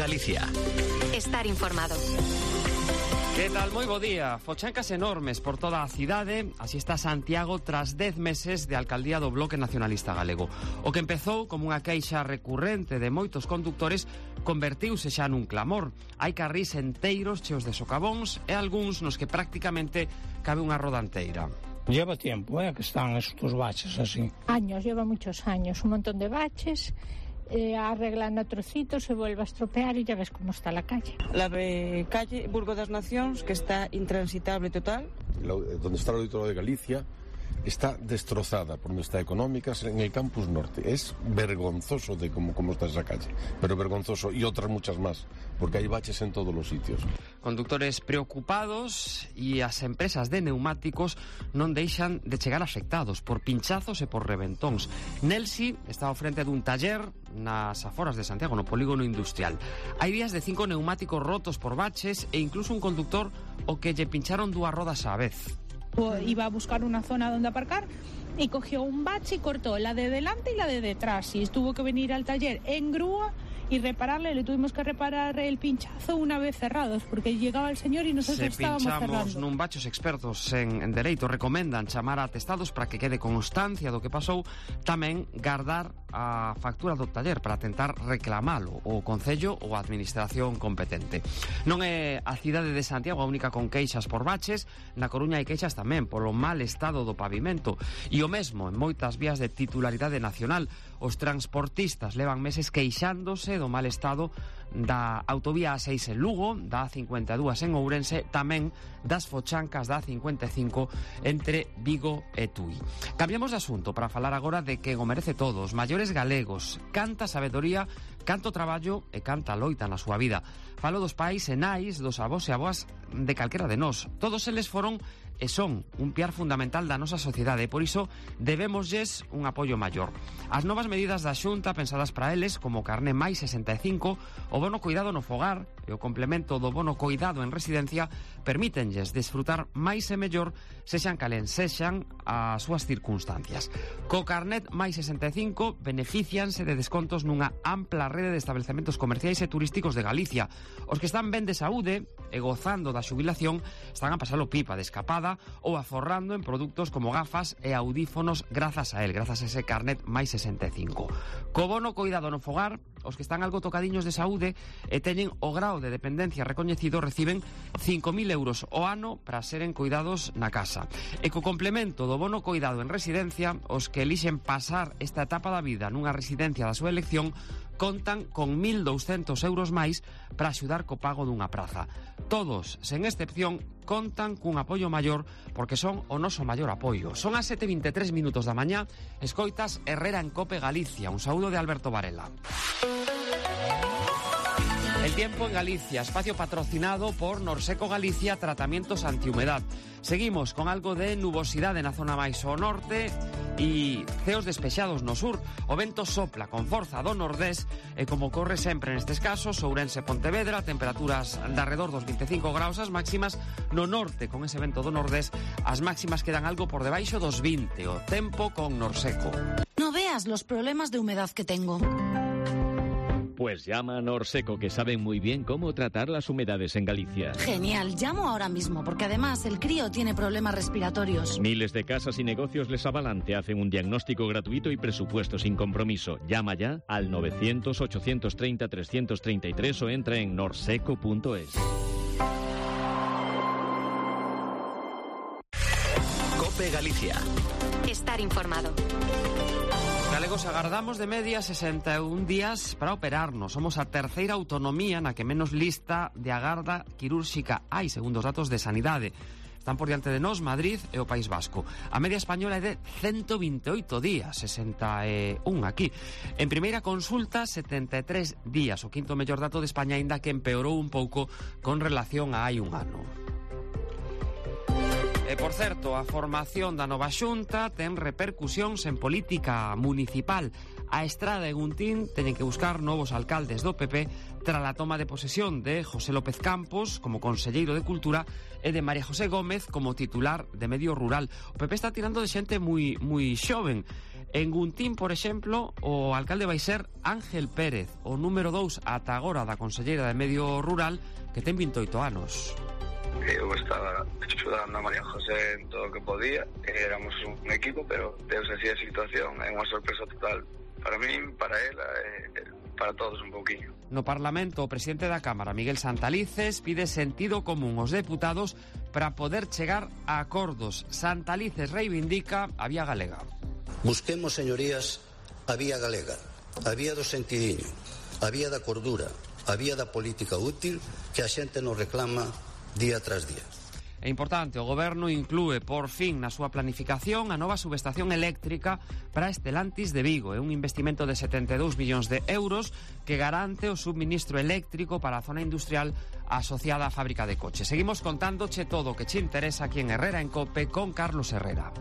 Galicia. Estar informado. Que tal? Moi bo día. Fochancas enormes por toda a cidade. Así está Santiago tras 10 meses de alcaldía do Bloque Nacionalista Galego. O que empezou como unha queixa recurrente de moitos conductores convertiuse xa nun clamor. Hai carrís enteiros cheos de socavóns e algúns nos que prácticamente cabe unha roda enteira. Lleva tiempo, que están estos baches así. Años, lleva muchos años, un montón de baches, arreglando trocitos, se vuelve a estropear y ya ves cómo está la calle. La calle Burgo das Nacións, que está intransitable total. Donde está el Auditorio de Galicia, está destrozada por donde está Económicas en el Campus Norte. Es vergonzoso de cómo está esa calle, pero vergonzoso, y otras muchas más, porque hay baches en todos los sitios. Conductores preocupados e as empresas de neumáticos non deixan de chegar afectados por pinchazos e por reventóns. Nelsi está ao frente dun taller nas aforas de Santiago, no polígono industrial. Hai días de 5 neumáticos rotos por baches e incluso un conductor o que lle pincharon 2 rodas á vez. Iba a buscar una zona donde aparcar y cogió un bache y cortó la de delante y la de detrás. Y tuvo que venir al taller en grúa y repararle. Le tuvimos que reparar el pinchazo una vez cerrados, porque llegaba el señor y nosotros estábamos cerrando. Nun bache, os expertos en dereito recomendan chamar a atestados para que quede constancia do que pasou, tamén guardar a factura do taller para tentar reclamalo o Concello ou a Administración competente. Non é a cidade de Santiago a única con queixas por baches. Na Coruña hai queixas tamén polo mal estado do pavimento, e o mesmo en moitas vías de titularidade nacional. Os transportistas levan meses queixándose do mal estado da autovía A6 en Lugo, da A52 en Ourense, tamén das fochancas da A55 entre Vigo e Tui. Cambiamos de asunto para falar agora de que o merece todo, os maiores galegos, canta sabedoría, canto traballo e canta loita na súa vida. Falo dos pais e nais, dos avós e avoas de calquera de nós. Todos eles foron e son un piar fundamental da nosa sociedade, e por iso debémoslles un apoio maior. As novas medidas da Xunta pensadas para eles, como o carné máis 65, o bono coidado no fogar e o complemento do bono coidado en residencia, permítenlles desfrutar máis e mellor, sexan calen sexan as súas circunstancias. Co carnet máis 65 beneficianse de descontos nunha ampla rede de establecementos comerciais e turísticos de Galicia. Os que están ben de saúde e gozando da xubilación están a pasalo pipa de escapada ou aforrando en produtos como gafas e audífonos grazas a ese carnet máis 65. Co bono coidado no fogar, os que están algo tocadiños de saúde e teñen o grao de dependencia recoñecido reciben 5.000 euros ao ano para seren cuidados na casa. E co complemento do bono coidado en residencia, os que elixen pasar esta etapa da vida nunha residencia da súa elección contan con 1.200 euros máis para axudar co pago dunha praza. Todos, sen excepción, contan cun apoio maior porque son o noso maior apoio. Son as 7:23 minutos da mañá, escoitas Herrera en Cope Galicia. Un saúdo de Alberto Varela. El tiempo en Galicia, espacio patrocinado por Norseco Galicia, tratamientos antihumedad. Seguimos con algo de nubosidade na zona máis ao norte e ceos despexados no sur. O vento sopla con forza do nordés e, como corre sempre nestes casos, Ourense e Pontevedra, temperaturas de alrededor dos 25 graus as máximas. No norte, con ese vento do nordés, as máximas quedan algo por debaixo dos 20. O tempo con Norseco. No veas los problemas de humedad que tengo. Pues llama a Norseco, que saben muy bien cómo tratar las humedades en Galicia. Genial, llamo ahora mismo, porque además el crío tiene problemas respiratorios. Miles de casas y negocios les avalan, te hacen un diagnóstico gratuito y presupuesto sin compromiso. Llama ya al 900-830-333 o entra en norseco.es. COPE Galicia. Estar informado. Galegos agardamos de media 61 días para operarnos. Somos a terceira autonomía na que menos lista de agarda quirúrxica hai, segundo os datos de Sanidade. Están por diante de nós Madrid e o País Vasco. A media española é de 128 días, 61 aquí. En primeira consulta, 73 días, o quinto mellor dato de España, aínda que empeorou un pouco con relación a hai un ano. E, por certo, a formación da nova xunta ten repercusións en política municipal. A Estrada e Guntín teñen que buscar novos alcaldes do PP tras a toma de posesión de José López Campos como conselleiro de Cultura e de María José Gómez como titular de Medio Rural. O PP está tirando de xente moi xoven. En Guntín, por exemplo, o alcalde vai ser Ángel Pérez, o número 2 ata agora da conselleira de Medio Rural, que ten 28 anos. Eu estaba axudando a María José en todo o que podía, éramos un equipo, pero deus así a situación, é unha sorpresa total para min, para ela, para todos un pouquiño. No Parlamento, o presidente da Cámara, Miguel Santalices, pide sentido común aos deputados para poder chegar a acordos. Santalices reivindica a vía galega. Busquemos, señorías, a vía galega, a vía do sentidiño, a vía da cordura, a vía da política útil que a xente nos reclama día tras día. É importante, o Goberno inclúe por fin na súa planificación a nova subestación eléctrica para Estelantis de Vigo. É un investimento de 72 millóns de euros que garante o subministro eléctrico para a zona industrial asociada á fábrica de coches. Seguimos contándoche todo o que che interesa aquí en Herrera en COPE con Carlos Herrera.